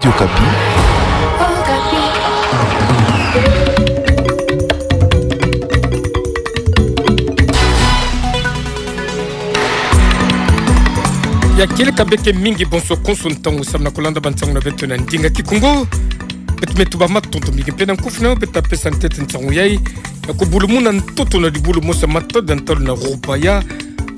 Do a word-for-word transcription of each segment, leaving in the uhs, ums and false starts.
Okapi. Ya kieleka beke mingi bonso konso ntangu samu na kulanda bansangu na beto na ndinga Kikongo. Beto me tuba matondo mingi mpe na nkufi na beto ta pesa ntete nsangu yayi ya kubulumuna ntoto na dibulu mosi ya matada ntalu na Rubaya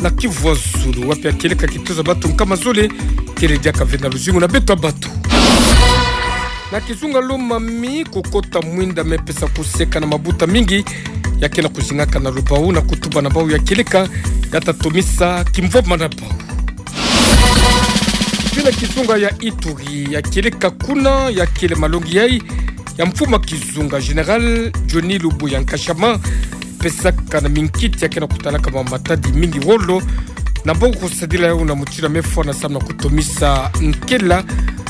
na Kivu ya Zulu, wapi ya kieleka kitezo ya bato nkama zole kele diaka ve na luzingu na beto ya bato. Na kizunga Lomami, kukota mwinda me pesa kuseka na mabuta mingi ya ke na kuzingaka na lubau na kutuba na bau ya kieleka ya ta tomisa kimvwama na bau. Mpe na kizunga ya Ituri, ya kieleka kuna ya kele malongi yayi ya mfumu ya kizunga Général Johnny Lubuya Nkashama, pesaka na minkiti ya ke na kutalaka ma matadi mingi wolo, na bau kusadila yau na mutindu ya me fwana samu na kutomisa nkela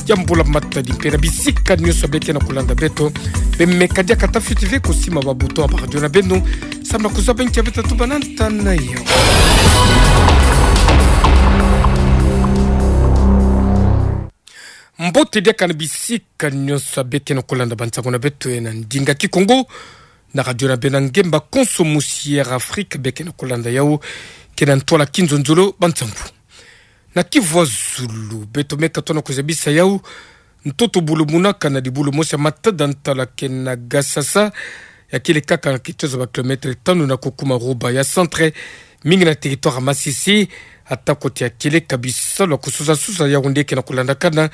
ya mbula matadi. Mpe na bisika nyonso beke na kulanda beto, bemeka diaka ta fioti ve kusima ba bouton ya ba radio na beno samu na kuzaba nki ya beta tuba na nta na yo. Mbote diaka na bisika nyonso beke na kulanda bansangu na beto na ndinga Kikongo na radio na beno ya ngemba konso musi Air Afrique beke na kulanda yau, ke na ntwala kinzonzolo bansangu. Na Kivu ya Zulu, beto meka tona kuzabisa yau ntoto bulumunaka na dibulu mosi ya matada ntalu ya ke na Gasasa, ya kele kaka na kitezo ya ba kilomètre tanu na kukuma Rubaya centre, mingi na territoire ya Masisi, ata kote ya kieleka bisalu ya kususa-susa yau nde ke na kulandakana,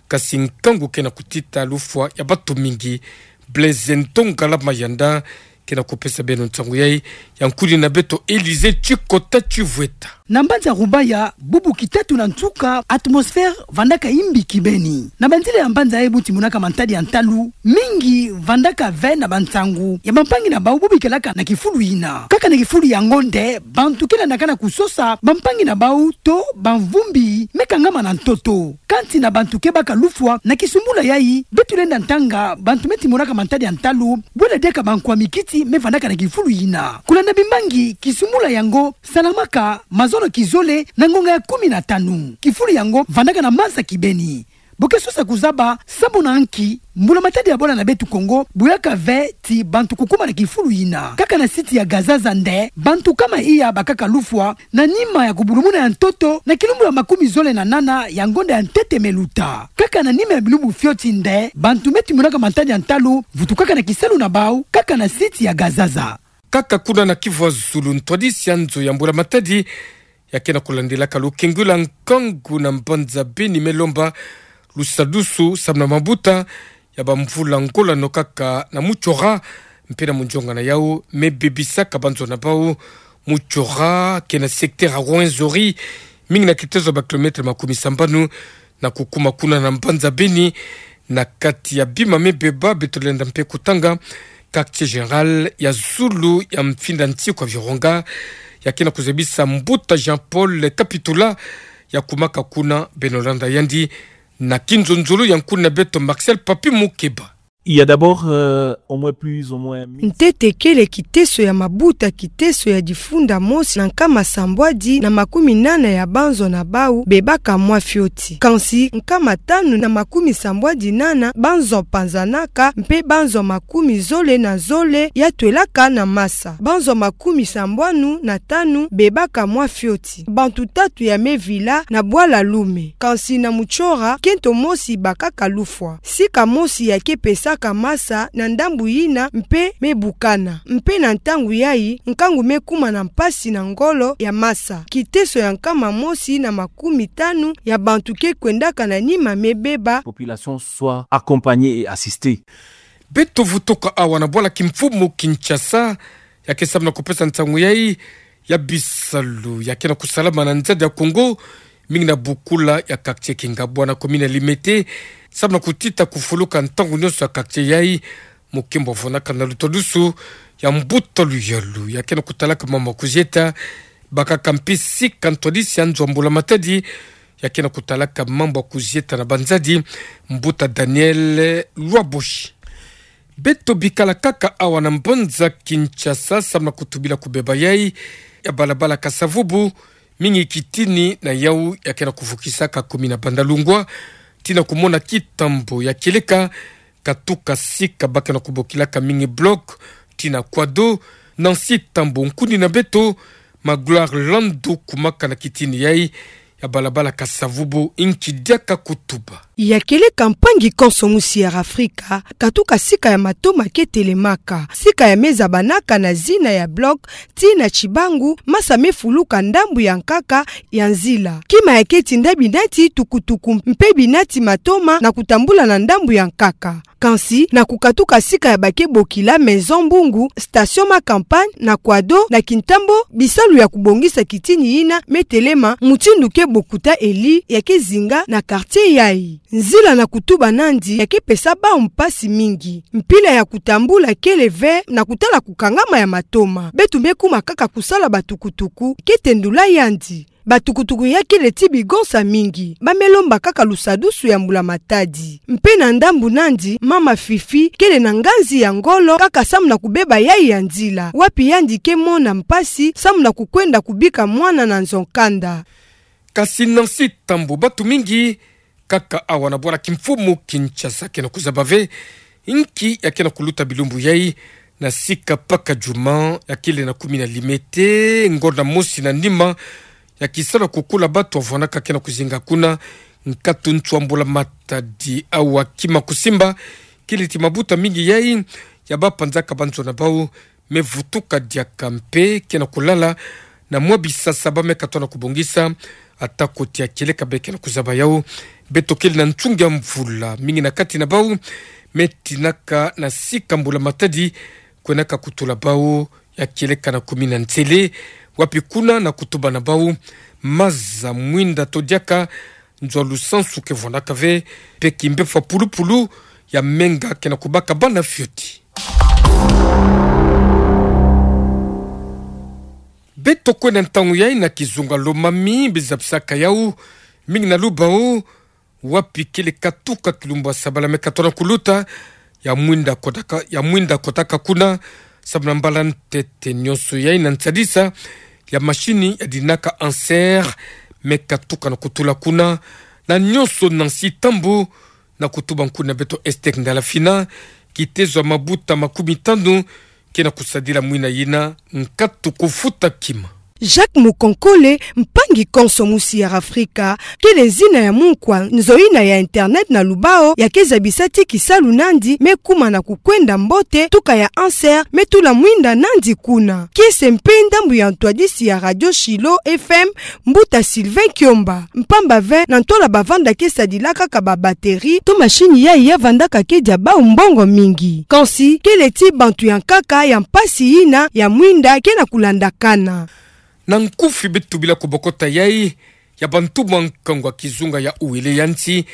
kasi nkangu ke na kutita lufwa ya bato mingi. Blaise Ntongala Mayanda ke na kupesa beno nsangu yayi, ya nkuni na beto Élysée Tshikota Tshivweta. Na mbanza Rubaya, bubu kitatu na nsuka, atmosphère vandaka imbi kibeni. Na banzila ya mbanza yayi bu timonaka mantadi ya ntalu, mingi vandaka ve na bansangu ya bampangi na bau bu bikelaka na kifulu yina. Kaka na kifulu yango nde, bantu ke landaka na kusosa bampangi na bau to bamvumbi me kangama na ntoto. Kansi na bantu ke baka lufwa na kisumbula yayi, beto lenda ntanga bantu me timonaka mantadi ya ntalu, bwela diaka bankwa mikiti me vandaka na kifulu yina. Kulanda bimbangi, kisumbula yango salamaka mazono kizole na ngonga ya kumi na tanu. Kifulu yango vandaka na masa kibeni. Bo ke sosa kuzaba sambu na nki mbula matadi ya bwala na beto Kongo buyaka ve ti bantu kukuma na kifulu yina. Kaka na site ya Gazaza nde, bantu kama iya bakaka lufwa na nima ya kubulumuna ya ntoto na kilumbu ya makumi zole na nana ya ngonda ya ntete me luta. Kaka na nima ya bilumbu fioti nde, bantu me timonaka mantadi ya ntalu vutukaka na kisalu na bau, kaka na site ya Gazaza. Kaka kuna na Kivu ya Zulu, ntwadisi ya nzo ya mbula matadi ya ke na kulandilaka lukengwila nkangu na mbanza Beni me lomba lusadusu samu na mabuta ya bamvula ngola no kaka na Mutshora mpe na munzonga na yau me bebisaka banzo na bau. Mutshora ke na secteur ya Rwenzori, mingi na kitezo ya ba kilomètre makumi sambanu na kukuma kuna na mbanza Beni. Na kati ya bima me beba, beto lenda mpe kutanga quartier général ya zulu ya mfinda nsiku ya Virunga, ya ke na kuzabisa mbuta Jean-Paul Kapitula, ya kumaka kuna. Beno landa yandi na kinzonzolo ya nkuni na beto Marcel Papi Mukeba. Il y a d'abord, euh, au moins plus ou moins mille. Ntete kele kiteso ya mabuta, kiteso ya difunda mosi na nkama sambwadi na makumi nana ya banzo na bau bebaka mwa fioti. Kansi nkama tanu na makumi sambwadi nana banzo panzanaka, mpe banzo makumi zole na zole ya twelaka na masa. Banzo makumi sambwanu na tanu bebaka mwa fioti. Bantu tatu ya me vila na bwala Lume. Kansi na Mutshora, kento mosi bakaka lufwa. Sika mosi ya ke pesaka masa na ndambu yina mpe me bukana. Mpe na ntangu yayi, nkangu me kuma na mpasi na ngolo ya masa. Kiteso ya nkama mosi na makumi tanu ya bantu ke kwendaka na nima me beba. Population soit accompagnée et assistée. Beto vutuka awa na bwala kimfumu Kinshasa, ya ke samu na kupesa nsangu yayi ya bisalu ya ke na kusalama na nzadi ya Kongo, mingi na bukula ya quartier Kingabwa na commune ya Limete, samu na kutita kufuluka ntangu nyonso ya quartier yayi. Mukimbo vonaka na lutadusu ya mbuta Luyalu ya ke na kutalaka mambu ya kuzieta, bakaka mpe sika ntwadisi ya nzo ya mbula matadi ya ke na kutalaka mambu ya kuzieta na banzadi, mbuta Daniel Lwaboshi. Beto bikala kaka awa na mbanza Kinshasa, samu na kutubila kubeba yayi ya balabala Kasa-Vubu, mingi kitini na yau ya ke na kuvukisaka commune ya Bandalungwa, tina kumona kitambo ya kieleka, katuka sika ba ke na kubokilaka mingi bloc, tina Kouado, Nancy Tambo, nkuni na beto, Magloire Landu, kumaka na kitini yai ya balabala Kasa-Vubu, nki diaka kutuba. Ya kieleka, mpangi konso mu Sierra Afrika, katuka sika ya matoma ke telemaka, sika ya mezabanaka na zina ya bloc, tina Tchibangu, masa mefuluka ndambu ya nkaka ya nzila. Kima ya keti nda binati tukutuku mpe binati matoma na kutambula na ndambu ya nkaka. Kansi, na kukatuka sika ya ba ke bokila Maison Mbungu, station Ma Campagne, na Kouado, na Kintambo, bisalu ya kubongisa kitini yina metelema, mutindu ke bokuta eli ya ke zinga na quartier yai. Nzila na kutuba nandi ya ke pesa bawu mpasi mingi. Mpila ya kutambula kele ve na kutala kukangama ya matoma. Beto me kuma kaka kusala batukutuku, ke tendula yandi. Batukutuku ya kele ti bigonsa mingi. Ba me lomba kaka lusadusu ya mbula-matadi. Mpe na ndambu nandi, mama Fifi kele na nganzi ya ngolo kaka samu na kubeba yai ya nzila, wapi yandi ke mona mpasi samu na kukwenda kubika mwana na nzo-kanda. Kasi Nancy Tambo, batu mingi kaka awa na bwala kimfumu Kinshasa ke na kuzaba ve nki ya ke na kuluta bilumbu yai na sika Paka Djuma ya kele na kumi na limete, ngonda mosi na nima ya kisalu ya kukula batu avwanaka ke na kuzinga kuna, nkatu ntu a mbula-matadi. Awa kima kusimba kele ti mabuta mingi yai ya bapanzaka banzo na bawu me vutuka diaka mpe ke na kulala na mwa bisasa ba me katoa na kubongisa, ata koti ya kieleka be ke na kuzaba yawu. Beto kele na nsungi ya mvula, mingi na kati na bawu me tinaka na sika mbula-matadi, kwenaka kutula bawu ya kieleka na kumi na nsele, wapi kuna na kutuba na bawu maza mwinda to diaka nzo a lusansu ke vwanaka ve, mpe kimbefwa pulupulu ya menga ke na kubaka bana fioti. Beto kwenda ntangu yai na kizunga Lomami, bizabisaka yawu mingi na Lubao, wapi kele katuka kilumbu ya sabala me katoa na kuluta, ya mwinda kotaka, ya mwinda kotaka kuna, samu na mbala ntete nyonso yai na nsadisa ya mashini ya dinaka answer me katuka na kutula kuna, na nyonso Nancy Tambo, na kutuba nkuni na beto Esther Ndalafina, kitezo ya mabuta makumi tanu ke na kusadila mwina yina, nkatu kufuta kima. Jacques Mukonkole, mpangi konso mu Sierra Afrika, kele zina ya munkwa nzo yina ya internet na Lubao ya ke zabisa ti kisalu nandi me kuma na kukwenda mbote, tuka ya answer me tula mwinda nandi kuna. Kiese mpe ndambu ya ntwadisi ya Radio Shiloh F M, mbuta Sylvain Kiomba. Mpamba ve, na ntola bavanda ke sadila kaka ba batterie, to mashini yai ya vandaka ke dia bawu mbongo mingi. Kansi, kele ti bantu ya nkaka ya mpasi yina ya mwinda ke na kulandakana. Na nkufi beto bila kubokota yai ya bantumwa nkangu ya kizunga ya Uele ya nsi,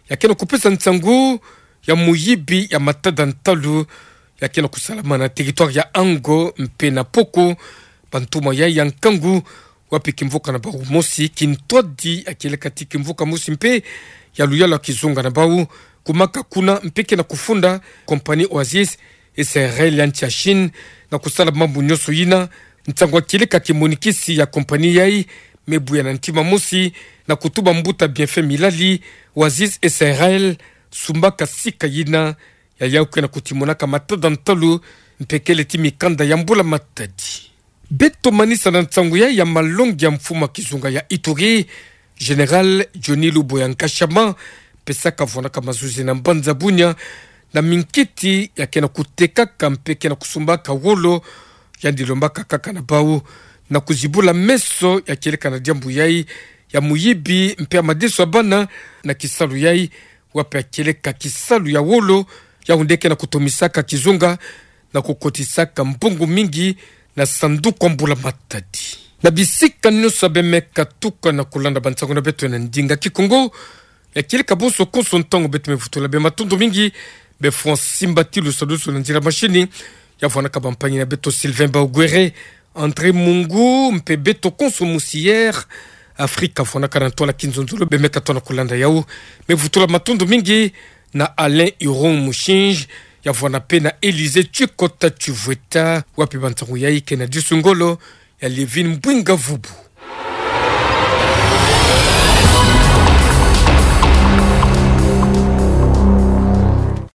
ya ke na kupesa nsangu ya muyibi ya matada ntalu, ya ke na kusalama na territoire ya Ango mpe na Poko. Bantumwa yai ya nkangu, wapi kimvuka na bawu mosi, kintwadi ya kieleka ti kimvuka mosi mpe ya luyalu ya kizunga na bawu, kumaka kuna mpe ke na kufunda compagnie Oasis S A R L ya nsi ya Chine, na kusala mambu nyonso yina. Nsangu ya kieleka kimonikisi ya compagnie yai me buya na ntima mosi, na kutuba mbuta Bienfait Milali, Oasis S A R L sumbaka sika yina ya yawu ke na kutimonaka matada ntalu, mpe kele ti mikanda ya mbula-matadi. Beto manisa na nsangu yai ya malongi ya mfumu ya kizunga ya Ituri, Général Johnny Luboya Nkashama, pesaka vwanaka mazuzi na mbanza Bunia, na minkiti ya ke na kutekaka mpe ke na kusumbaka wolo, yandi lombaka kaka na bawu na kuzibula meso ya kieleka na diambu yai ya muyibi mpe ya madeso ya bana na kisalu yai, wapi ya kieleka kisalu ya wolo, yawu nde ke na kutomisaka kizunga na kukotisaka mbongo mingi na sanduku ya mbula-matadi. Na bisika nyonso ya be me katuka na kulanda bansangu na beto na ndinga Kikongo, ya kieleka bonso konso ntangu beto me vutula be matondo mingi, be fwa simba ti lusadusu na nzila mashini, ya vwanaka bampangi na beto Sylvain Baogwere, André Mungu, mpe beto konso mu Sierra Afrika vwanaka na ntola kinzonzolo, be me katoa na kulanda yawu. Me vutula matondo mingi na Alain Huron Mushinji, ya vwana mpe na Élysée Tshikota Tshivweta, wapi bansangu yai ke na disu ngolo ya Lievine Mbwinga Vubu.